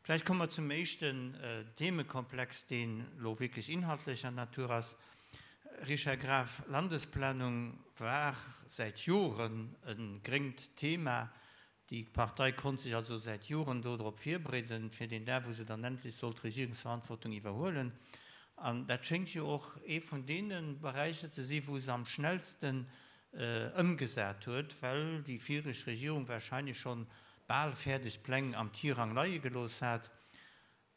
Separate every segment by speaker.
Speaker 1: Vläicht komme mer zum éischten Themekomplex, deen elo wierklech inhaltlecher Natur ass. Richard Graf, Landesplanung war säit Joren e gréngt Thema. Déi Partei konnt sech also säit Joren do drop virbereeden, fir deen Dag, wou se dann endlech sollt d'Regierungsverantwortung iwwerhuelen. An dat schéngt jo och ee vun deene Beräicher ze si wou se am schnellsten ëmgesat huet, well déi viregt Regierung wahrscheinlech schonn bal fäerdeg Pläng am Tirang leie gelooss hat.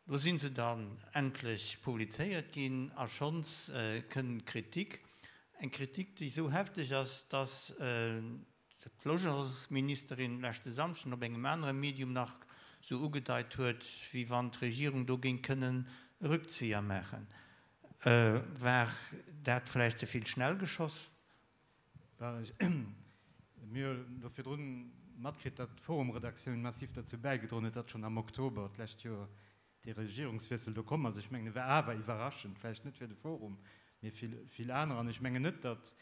Speaker 1: Lo sinn se dann endlech publizéiert ginn a schonns kënn Kritik. Eng Kritik, déi esou hefteg ass, dass d'Logementsministerin leschte Samschden op engem anere Medium nach esou ugedeit huet, wéi wann d'Regierung do géing kënnen e Rückzieher maachen. War dat vläicht ze vill schnell geschoss?
Speaker 2: Mir hu do virdrun matkritt, datt d'forum-Redaktioun massiv derzou bäigedroen huet, datt schonn am Oktober d'lescht Joer dee Regierungswiessel do komm ass. Ech mengen, e war awer iwwerraschend, vläicht net fir de forum, mee fir vill aner. An ech mengen net, datt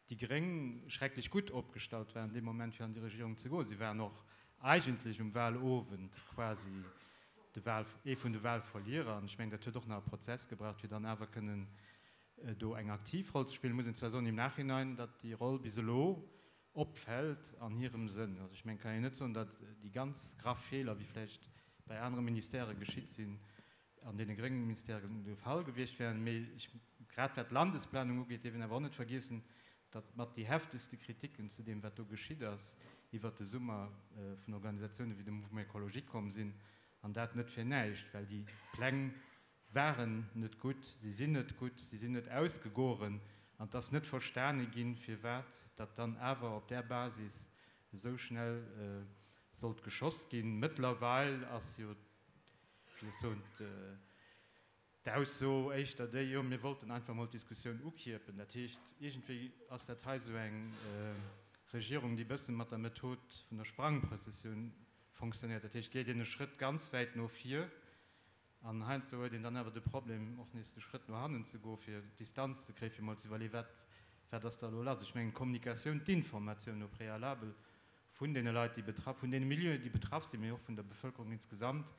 Speaker 2: déi gréng schrecklech gutt opgestallt waren dee Moment, fir an déi Regierung ze goen. Si waren och eigentlech um Wahlowend quasi de Wahl, ee vun de Wahlverlierer. An ech mengen, dat huet och nach e Prozess gebraucht, fir dann awer kënnen do eng aktiv Roll ze spillen, muss een zwar soen im Nachhinein, datt déi Roll bis elo opfält an hirem Sënn. Also ech mengen, et kann een net soen, datt déi ganz graff Feeler, wéi vläicht bei anere Ministèrë geschitt sinn, an deene grénge Ministèren de Fall gewiescht wären. Mee ech, grad wat d'Landesplanung ugeet, dierf een awer och net vergiessen, datt mat déi heftegste Kritiken zu deem, wat do geschitt ass, iwwert de Summer vun Organisatioune wéi dem Mouvement Écologique komm sinn. An dat net fir näischt, well déi Pläng waren net gutt, si sinn net gutt, si sinn net ausgegoren an et ass net verstane ginn, firwat datt dann awer op där Basis esou schnell sollt geschoss ginn. Mëttlerweil ass jo, wéi soll ech soen, d'Ausso éischter déi, jo mir wollten einfach mol d'Diskussioun ukierpen. Dat heescht, iergendwéi ass dat hei esou eng Regierung, déi e bësse mat der Method vun der Sprangprëssessioun fonctionnéiert. Dat heescht, geet een e Schrëtt ganz wäit no vir, An heiansdo huet een dann awer de Problem, och nees de Schrëtt no hannen ze goen, fir Distanz ze kréien, fir mol ze iwwerleeën, wat, wat ass da elo lass. Ech mengen, d'Kommunikatioun, d'Informatioun au préalable vun deene Leit, déi betraff, vun deene Milieuen, déi betraff sinn, mee och vun der Bevëlkerung insgesamt,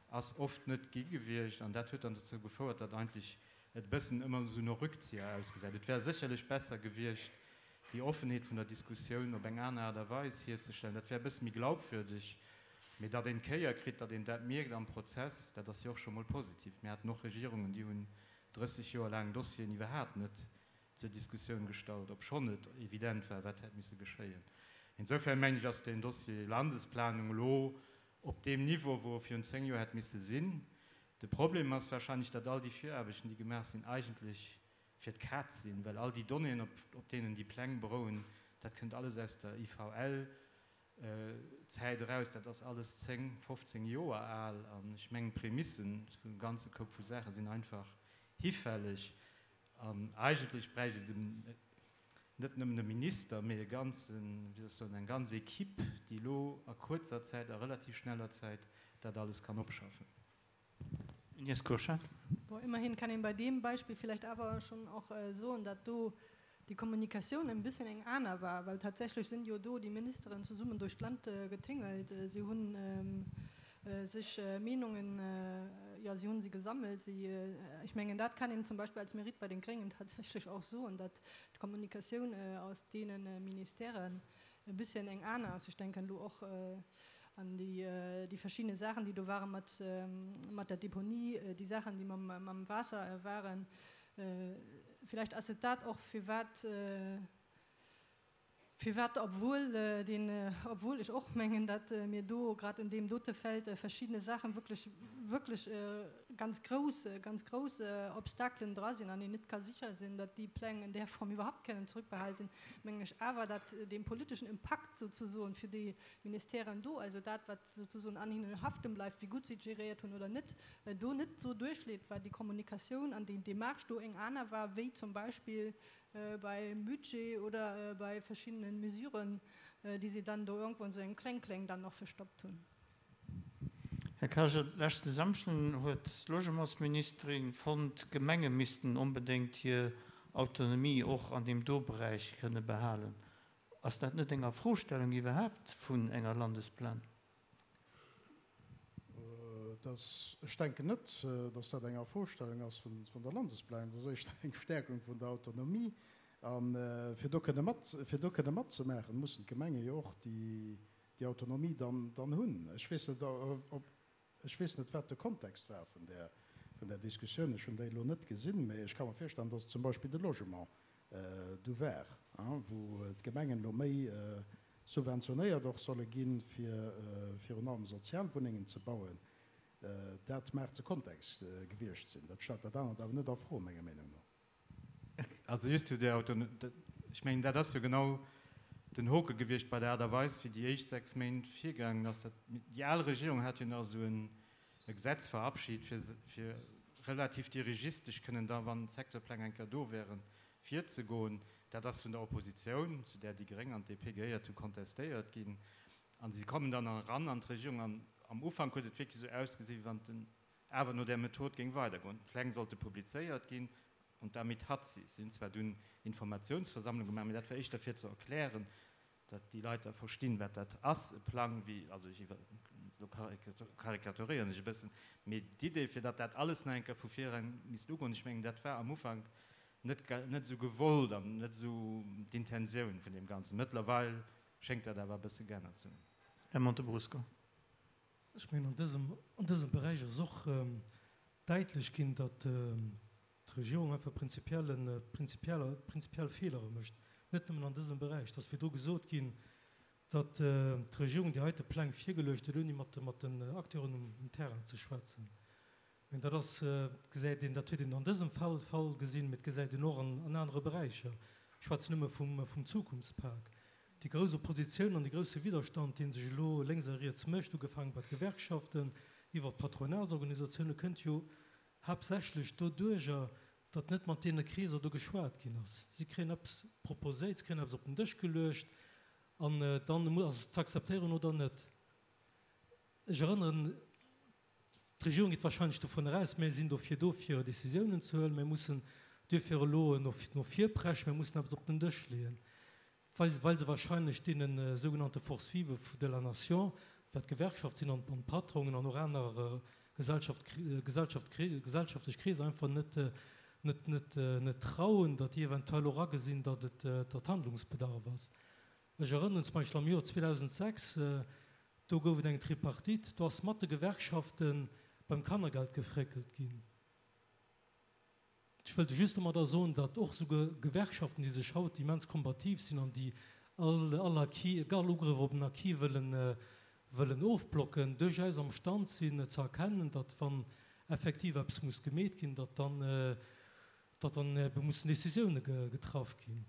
Speaker 2: ass oft net gi gewiescht. An dat huet dann dozou gefouert, datt eigentlech et e bëssen ëmmer esou no Rückzieher ausgesäit. Et wär sécherlech besser gewiescht, déi Offenheet vun der Diskussioun op eng aner Aart a Weis hierzestellen. Dat wär e bësse méi glaubwürdeg. Mee datt een d'Kéier kritt, datt een dat mierkt am Prozess, dat ass jo och scho mol positiv. Mir haten och Regierungen, déi hunn 30 Joer laang Dossieren iwwerhaapt net zur Diskussioun gestallt, obschonn et evident war, wat hätt misse geschéien. Insofern mengen ech, ass deen Dossier Landesplanung elo op deem Niveau, wou e virun 10 Joer hätt misse sinn. De Problem ass wahrscheinlech, datt all déi Viraarbechten, déi gemaach sinn, eigentlech fir d'Kaz sinn, well all déi Donnéeën, op deenen déi Pläng berouen, dat kënnt alles aus der IVL, Zäit eraus, dat ass alles 10, 15 Joer al an ech mengen d'Prämissen vun dem ganze Koup vu Saache sinn einfach hifälleg an eigentlech bräicht et en, net nëmmen e Minister, mee e ganzen, wéi soll ech soen, eng ganz Equipe, déi elo a kuerzer Zäit, a relativ schneller Zäit dat alles kann opschaffen.
Speaker 1: Ines Kurschat.
Speaker 3: Bon, immerhin kann een bei deem Beispill vielleicht awer schon och soen, datt do déi Kommunikatioun en bëssen eng aner war, well tatsächlech sinn jo do déi Ministeren zesummen duerch d'Land getingelt, si hunn sech Meenungen, jo, si hunn se gesammelt, si, ech mengen, dat kann een zum Beispill als Mérite bei den Gréngen tatsächlech och soen, datt d'Kommunikatioun aus deene Ministèren e bisschen eng aner ass. Ech denken elo och an déi, déi verschiddene Saachen, déi do ware mat, mat der Deponie, déi Saachen, déi mam, mam Waasser waren. Villäicht ass et dat och, firwat, firwat, obwuel deen, obwuel ech och mengen, datt mir do grad en deem dote Feld verschiddene Saachen wierklech, wierklech ganz grouss, ganz grouss Obstakelen dra sinn an een net ka sécher sinn, datt déi Pläng en där Form iwwerhaupt kënnen zrückbehal sinn, mengen ech awer, datt dee politeschen Impakt souzesoen fir déi Ministèren do, also dat, wat souzesoen an hinnen haften bleift, wéi gutt si et geréiert hunn oder net, do net esou duerchleet, well déi Kommunikatioun an déi Démarche do eng aner war wéi zum Beispill beim Budget oder bei verschiddenen Mesuren, déi si dann do irgendwo an esou engem Kléng-Kléng dann nach verstoppt hunn.
Speaker 1: Här Karger, leschten Samschden huet d'Logementsministerin fonnt, d'Gemenge missten onbedéngt hir Autonomie och an deem do Beräich kënne behalen. Ass dat net eng Afrostellung iwwerhaapt vun enger Landesplanung?
Speaker 4: Dat. Dass, ech denken net, dass dat eng Afrostellung ass vun der Landesplanung. Dat ass éischter eng Stärkung vun der Autonomie. A fir do kënne mat, fir do kënne matzemaachen, mussen d'Gemenge jo och déi, déi Autonomie dann, dann hunn. Ech weess net, ob, ech weess net, wat de Kontext war vun där, vun där Diskussioun. Ech hunn déi elo net gesinn, mä ech ka mer virstellen, dass et zum Beispill de Logement do war, wou d'Gemengen elo méi subventionéiert och solle ginn, fir virun allem Sozialwunnengen ze bauen. Dat mag de Kontext gewiescht sinn. Dat stellt dat anert awer net a Fro, menger Meenung no.
Speaker 2: Also just zu där Auto, ech mengen, dat ass jo genau den Hoke gewiescht bei der Aart a Weis, wéi déi éischt 6 Méint virgaangen ass. Déi al Regierung hat jo nach esou en e Gesetz verabschit, fir, fir relativ dirigistesch kënnen da, wann d'Secteurpläng eng Kéier do wären, virzegoen. Dat ass vun der Oppositioun, zu där déi Gréng an d'DP gehéiert hunn, kontestéiert ginn. A si kommen dann eran an d'Regierung an am Ufank huet et wierklech esou ausgesinn, wéi wann et awer no där Method géing weidergoen. D'Pläng sollte publizéiert ginn und damit hat sich's. Si hunn zwar dunn Informatiounsversammlung gemaach, mee dat war éischter fir ze erklären, datt déi Leit da verstinn, wat dat ass, e Plang, wéi, also ech iwwer, elo karikaturéieren ech e bëssen, mee d'Idee, fir datt dat alles nach eng Kéier vu vir eran misst ugoen, ech mengen, dat war am Ufank net, net esou gewollt an net esou d'Intentioun vun deem Ganzen. Mëttlerweil schéngt dat awer e bësse geännert ze hunn.
Speaker 1: Här Montebrusco.
Speaker 5: Ech mengen, an dësem, an dësem Beräich ass och däitlech ginn, datt d'Regierung einfach prinzipielle, prinzipielle, prinzipiell Feelere mécht, net nëmmen an dësem Beräich. Et ass virdru gesot ginn, datt d'Regierung déi heite Pläng virgeluecht huet, ouni mat, mat den Acteuren um, um Terrain ze schwätzen. Mä dat ass, gesäit een, dat huet een an dësem Fall, Fall gesinn, mä et gesäit een och an, an anere Beräicher. Ech schwätzen nëmme vum, vum Zukunftspak. Déi grouss Oppositioun an de grousse Widderstand, dee sech elo lénks a riets mécht, ugefaange bei de Gewerkschaften, iwwer d'Patronatsorganisatioune, kënnt jo haaptsächlech doduerjer, datt net mat deene Kreeser do geschwat ginn ass. Si kréien eppes proposéiert, si kréien eppes op den Dësch geluecht an dann ass et ze akzeptéieren oder net. Ech erënneren, d'Regierung geet wahrscheinlech dovun aus, mir sinn dofir do, fir Décisiounen ze huelen, mir mussen duerfir elo no vir preschen, mir mussen eppes op den Dësch leeën. Well se wahrscheinlech deene sougenannte Forces vives de la nation, wat d'Gewerkschaft sinn an d'Patronen an och aner gesellschaftlech Kreeser, einfach net trauen, datt déi eventuell och agesinn, datt et datt Handlungsbedarf ass. Ech erënneren zum Beispill am Joer 2006, do gouf et eng Tripartite, do ass mat de Gewerkschafte beim Kannergeld gefréckelt ginn. Ech wëllt just domadder soen, datt och souguer Gewerkschaften, déi sech haut immens kombativ sinn an déi all all Acquis, all Ugrëff op en Acquis wëllen wëllen ofblocken, duerchaus am Stand sinn ze erkennen, datt wann effektiv eppes muss gemeet ginn, datt dann datt dann ebe mussen Décisioune getraff ginn.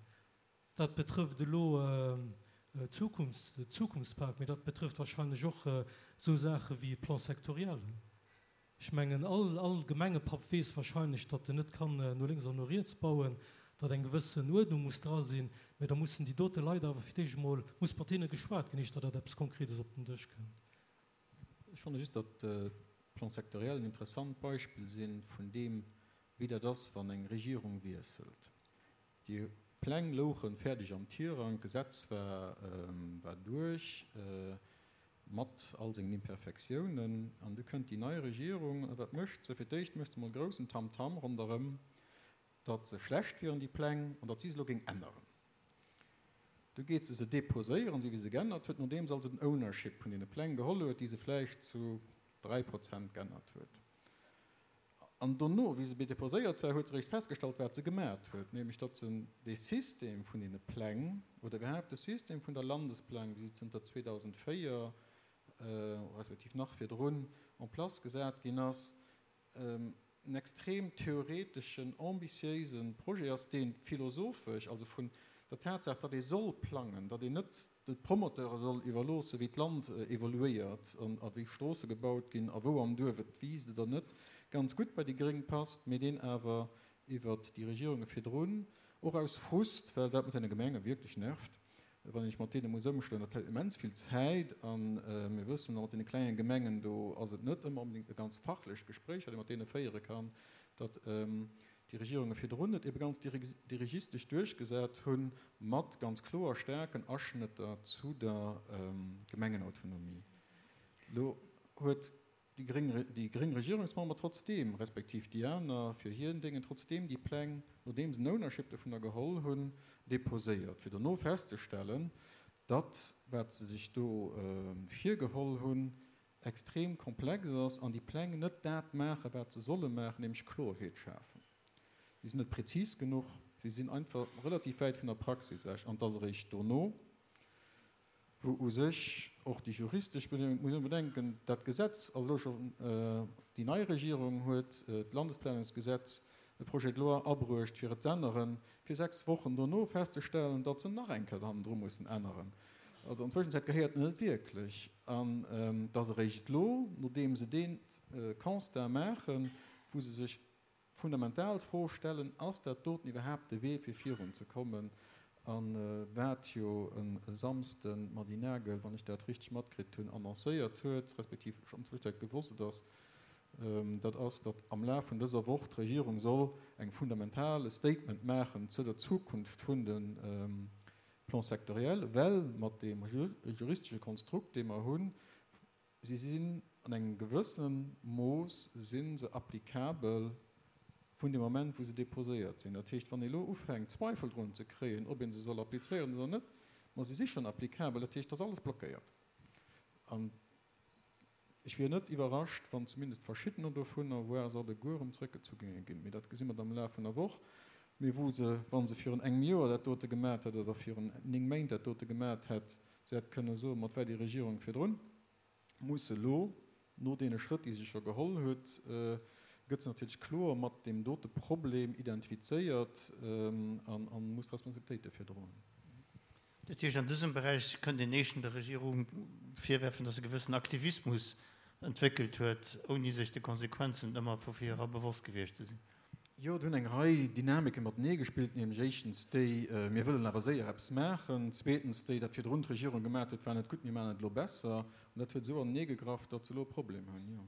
Speaker 5: Dat betrëfft elo d'Zukunfts de Zukunftspak, mee dat betrëfft wahrscheinlech och esou Saache wéi Plan-sectoriellen. Ech mengen, all, all Gemengepapp weess wahrscheinlech, datt en net kann no lénks an no riets bauen, datt eng gewëssen Uerdnung muss dra sinn. Mä da mussen déi dote Leit awer fir d'éischt emol, muss mat hinne geschwat ginn, éischter datt eppes Konkretes op den Dësch kënnt.
Speaker 6: Ech fanne just, datt d'Plans sectoriels en interessant Beispill si vun deem, wéi dat ass, wann eng Regierung wiesselt. Déi Pläng louche fäerdeg am Tirang, d'Gesetz war war duerch, mat all sengen Imperfektiounen. An du kënnt déi nei Regierung, a wat mécht se? Fir d'éischt mécht se emol groussen Tamtam ronderëm, datt se schlecht wieren, déi Pläng, an datt si se elo géing änneren. Du geet se se deposéieren, esou wéi se geännert huet, nodeem se also den Ownership vun deene Pläng geholl huet, déi se vläicht zu 3 Prozent geännert huet. An dono, wéi se deposéiert war, huet se eréischt festgestallt, wat se gemat huet, nämlech datt se dee System vun deene Pläng oder iwwerhaapt de System vun der Landesplanung, wéi se zënter 2004, respektiv nach virdrun, en place gesat ginn ass, en extrem theoreteschen, ambitiéise Projet ass, dee philosophesch, also vun der Tatsaach, datt ee soll plangen, datt een net de Promoteure soll iwwerloossen, wéi d'Land evoluéiert a wéi Stroosse gebaut ginn a wou am Duerf et wiisst oder net, ganz gutt bei déi Gréng passt, mee deen awer iwwert déi Regierunge virdrun, och aus Frust, well dat mat deene Gemenge wierklech nervt, wann ee sech mat deene muss ëmschloen, dat hëlt immens vill Zäit a mir wëssen och, mat deene klenge Gemengen, do ass et net ëmmer onbedéngt e ganz fachlecht Gespréich, wat ee mat deene féiere kann, datt déi Regierunge virdrun et ebe ganz dirigistesch duerchgesat hu mat ganz kloer staarken Aschnëtter zu der Gemengenautonomie. Elo huet. déi gréng, déi gréng Regierungsmember trotzdeem, respektiv déi aner fir hir Déngen, trotzdeem déi Pläng, nodeem se en Ownership dovunner geholl hunn, déposéiert, fir dono festzestellen, datt wat se sech do virgeholl hunn, extrem komplex ass an déi Pläng net dat maachen, wat se solle maachen, nämlech Kloerheet schafen. Si sinn net prezis genuch, si sinn einfach relativ wäit vun der Praxis ewech an et ass eréischt dono, wou u sech och déi juristesch Bedéngung, et muss een bedenken, dat Gesetz ass elo scho, déi nei Regierung huet d'Landesplanungsgesetz, e Projet de loi abruecht, fir et z'änneren, fir 6 Wochen dono festzestellen, datt se nach eng Kéier hannendru mussen änneren. Also an Zwëschenzäit gehéiert en net wierklech. An et ass eréischt elo, nodeem se dee Constat maachen, wou se sech fundamental d'Fro stellen, Ass dat doten iwwerhaapt de Wee fir virun ze kommen? A wat jo e Samsden d'Mady Nagel, wann ech dat richteg matkritt hunn, annoncéiert huet, respektiv schonn Zwëschenzäit gewosst ass, dat ass, datt am Laf vun dëser Woch d'Regierung soll eng fundamental e Statement maachen zu der Zukunft vun de Plans sectoriels, well mat deem juristesche Konstrukt, dee mer hunn, Si sinn an engem gewësse Mooss si se applicabel vun deem Moment, wou se déposéiert sinn. Dat heescht, wann ee elo ufänkt, Zweifel drun ze kréien, ob ee se soll applizéieren oder net, ma se si schonn applicabel, dat heescht, et ass alles blockéiert. An ech wier net iwwerrascht, wann zumindest verschiddener dovunner, voire se alleguer erëm zrëckgezu géinge ginn. Mee dat gesi mer dann am Laf vun der Woch. Mee wou se, wa se virun engem Joer dat dote gemat hätt oder virun 9 Méint dat dote gemat hätt, se hätt kënne soen, mat war déi Regierung virdrun, muss elo, no deene Schrëtt, déi se scho geholl huet, gëtt se natierlech kloer mat deem dote Problem identifizéiert a muss d'Responsabilitéit dofir droen.
Speaker 1: Dat heescht, an dësem Beräich kënnt een éischten der Regierung virwerfen, datt se e gewëssen Aktivismus entwéckelt huet, ouni sech de Konsequenzen ëmmer vu vir era bewosst gewiescht ze sinn.
Speaker 6: Jo, do hunn eng Rei Dynamike matenee gespillt, nämlech éischtens déi, mir wëllen awer séier eppes maachen, zweetens déi, dat virdrun d'Regierung gemaat huet, war net gutt, mir maachen et elo besser. An dat huet esou anenee gegraff, datt se elo e Problem hunn, jo.